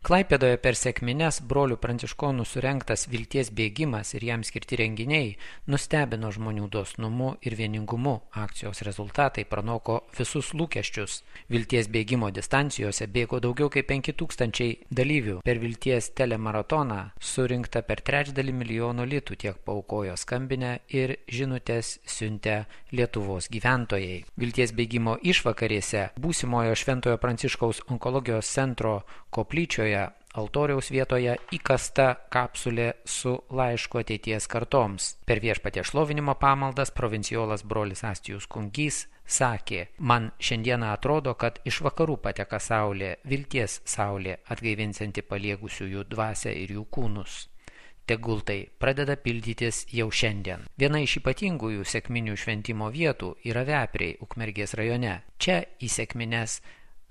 Klaipėdoje per sekmines brolių pranciškonų surengtas vilties bėgimas ir jam skirti renginiai nustebino žmonių dosnumu ir vieningumu. Akcijos rezultatai pranoko visus lūkesčius. Vilties bėgimo distancijose bėgo daugiau kaip 5000 dalyvių. Per vilties telemaratoną surinkta per 350 000 litų, tiek paaukojo skambinę ir žinutės siuntė Lietuvos gyventojai. Vilties bėgimo išvakarėse būsimojo Šventojo Pranciškaus onkologijos centro koplyčioje altoriaus vietoje įkasta kapsulė su laišku ateities kartoms. Per Viešpaties šlovinimo pamaldas provincijolas brolis Astijus Kungys sakė: man šiandieną atrodo, kad iš vakarų pateka saulė, vilties saulė, atgaivinsianti paliegusiųjų dvasią ir jų kūnus. Tegul tai pradeda pildytis jau šiandien. Viena iš ypatingųjų sekminių šventimo vietų yra Vepriai, Ukmergės rajone. Čia į sekmines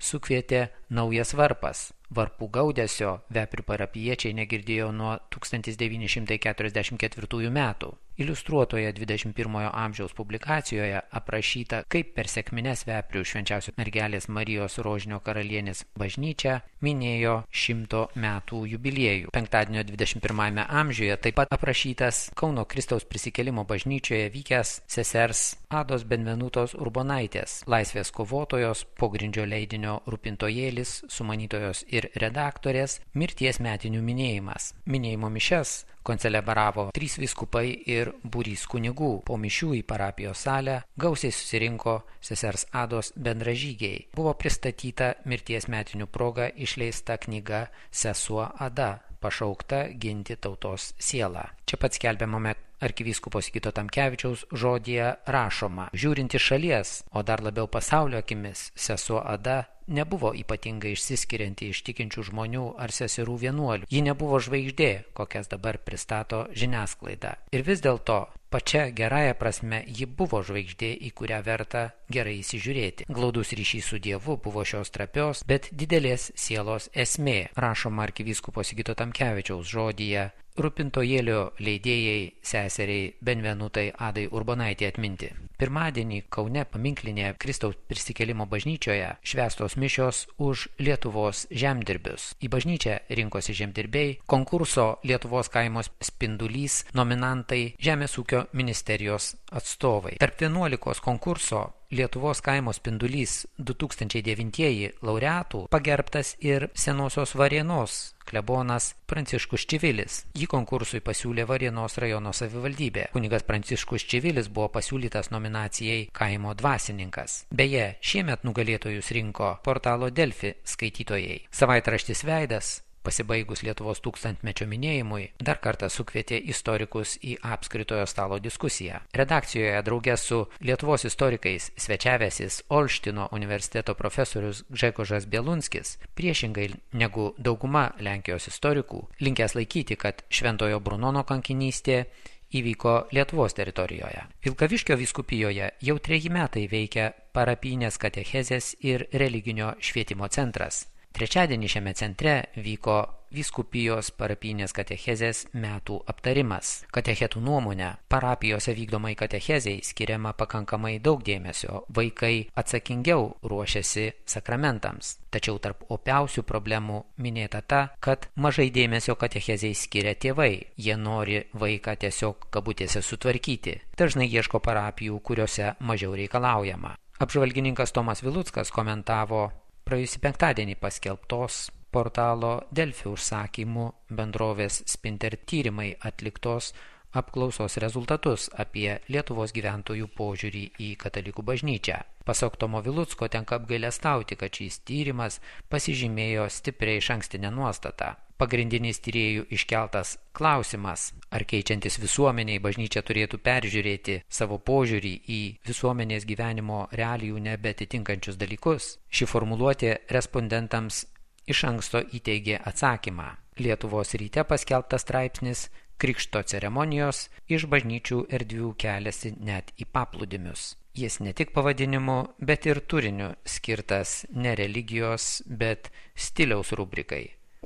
sukvietė naujas varpas. Varpų gaudesio Veprių parapijiečiai negirdėjo nuo 1944 metų. Iliustruotoje 21 amžiaus publikacijoje aprašyta, kaip per sekmines Veprių Švenčiausios Mergelės Marijos Rožinio karalienės bažnyčia minėjo 100 metų jubiliejų. Penktadienio 21 amžiuje taip pat aprašytas Kauno Kristaus prisikėlimo bažnyčioje vykęs sesers Ados Benvenutos Urbonaitės, laisvės kovotojos, pogrindžio leidinio Rūpintojėlis, sumanytojos ir redaktorės mirties metinių minėjimas. Minėjimo mišias koncelebravo 3 vyskupai ir būrys kunigų. Po mišių į parapijos salę gausiai susirinko sesers Ados bendražygiai. Buvo pristatyta mirties metinių proga išleista knyga Sesuo Ada, pašaukta ginti tautos sielą. Čia pat skelbiamame arkivyskupo Sigito Tamkevičiaus žodyje rašoma: žiūrint iš šalies, o dar labiau pasaulio akimis, sesuo Ada nebuvo ypatingai išsiskirianti iš tikinčių žmonių ar seserų vienuolių. Ji nebuvo žvaigždė, kokias dabar pristato žiniasklaida. Ir vis dėlto pačia gerąja prasme ji buvo žvaigždė, į kurią verta gerai įsižiūrėti. Glaudus ryšys su Dievu buvo šios trapios, bet didelės sielos esmė, rašoma arkivyskupo Sigito Tamkevičiaus žodyje Rūpintojėlio leidėjai seseriai Benvenutai Adai Urbonaitė atminti. Pirmadienį Kaune paminklinėje Kristaus prisikėlimo bažnyčioje švęstos mišios už Lietuvos žemdirbius. Į bažnyčią rinkosi žemdirbiai, konkurso Lietuvos kaimo spindulys nominantai, Žemės ūkio ministerijos atstovai. Tarp 11 konkurso Lietuvos kaimo spindulys 2009 laureatų pagerbtas ir Senosios Varėnos klebonas Pranciškus Čivilis. Jį konkursui pasiūlė Varėnos rajono savivaldybė. Kunigas Pranciškus Čivilis buvo pasiūlytas nominacijai kaimo dvasininkas. Beje, šiemet nugalėtojus rinko portalo Delfi skaitytojai. Savaitraštis Veidas, pasibaigus Lietuvos 1000-mečio minėjimui, dar kartą sukvietė istorikus į apskritojo stalo diskusiją. Redakcijoje drauge su Lietuvos istorikais svečiavęsis Olštino universiteto profesorius Gžegožas Bielunskis, priešingai negu dauguma Lenkijos istorikų, linkęs laikyti, kad Šventojo Brunono kankinystė įvyko Lietuvos teritorijoje. Vilkaviškio vyskupijoje jau 3 metai veikia parapijinės katechezės ir religinio švietimo centras. Trečiadienį šiame centre vyko vyskupijos parapijinės katechezės metų aptarimas. Katechetų nuomonė, parapijose vykdomai katechezei skiriama pakankamai daug dėmesio, vaikai atsakingiau ruošiasi sakramentams. Tačiau tarp opiausių problemų minėta ta, kad mažai dėmesio katechezei skiria tėvai. Jie nori vaiką tiesiog kabutėse sutvarkyti. Dažnai ieško parapijų, kuriuose mažiau reikalaujama. Apžvalgininkas Tomas Viluckas komentavo praėjusį penktadienį paskelbtos portalo Delfi užsakymų bendrovės Spinter tyrimai atliktos apklausos rezultatus apie Lietuvos gyventojų požiūrį į katalikų bažnyčią. Pasak Tomo Vilucko tenka apgailestauti, kad šis tyrimas pasižymėjo stipriai išankstinę nuostatą. Pagrindinis tyrėjų iškeltas klausimas, ar keičiantis visuomeniai bažnyčia turėtų peržiūrėti savo požiūrį į visuomenės gyvenimo realijų nebeatitinkančius dalykus. Ši formuluotė respondentams iš anksto įteigė atsakymą. Lietuvos ryte paskelbtas straipsnis Krikšto ceremonijos iš bažnyčių erdvių keliasi net į paplūdimius. Jis ne tik pavadinimu, bet ir turiniu skirtas ne religijos, bet stiliaus rubrikai.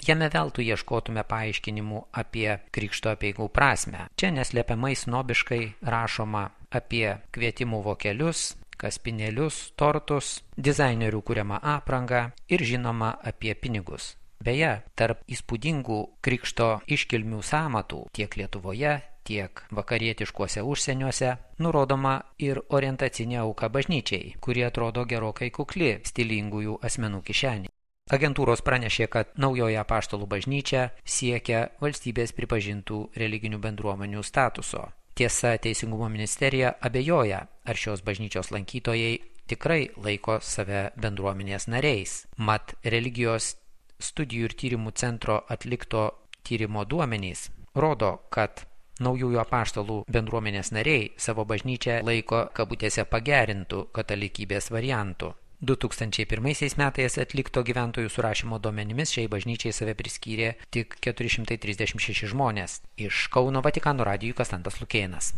Jame veltui ieškotume paaiškinimų apie krikšto apeigų prasmę. Čia neslėpiamai snobiškai rašoma apie kvietimų vokelius, kaspinėlius, tortus, dizainerių kuriamą aprangą ir žinoma apie pinigus. Beje, tarp įspūdingų krikšto iškilmių sąmatų tiek Lietuvoje, tiek vakarietiškuose užsieniuose nurodoma ir orientacinė auka bažnyčiai, kuri atrodo gerokai kukli stilingųjų asmenų kišenį. Agentūros pranešė, kad naujoji apaštalų bažnyčia siekia valstybės pripažintų religinių bendruomenių statuso. Tiesa, Teisingumo ministerija abejoja, ar šios bažnyčios lankytojai tikrai laiko save bendruomenės nariais. Mat, religijos studijų ir tyrimų centro atlikto tyrimo duomenys rodo, kad naujųjų apaštalų bendruomenės nariai savo bažnyčią laiko kabutėse pagerintų katalikybės variantų. 2001 metais atlikto gyventojų surašymo duomenimis šiai bažnyčiai save priskyrė tik 436 žmonės. Iš Kauno Vatikano radijui Konstantas Lukėnas.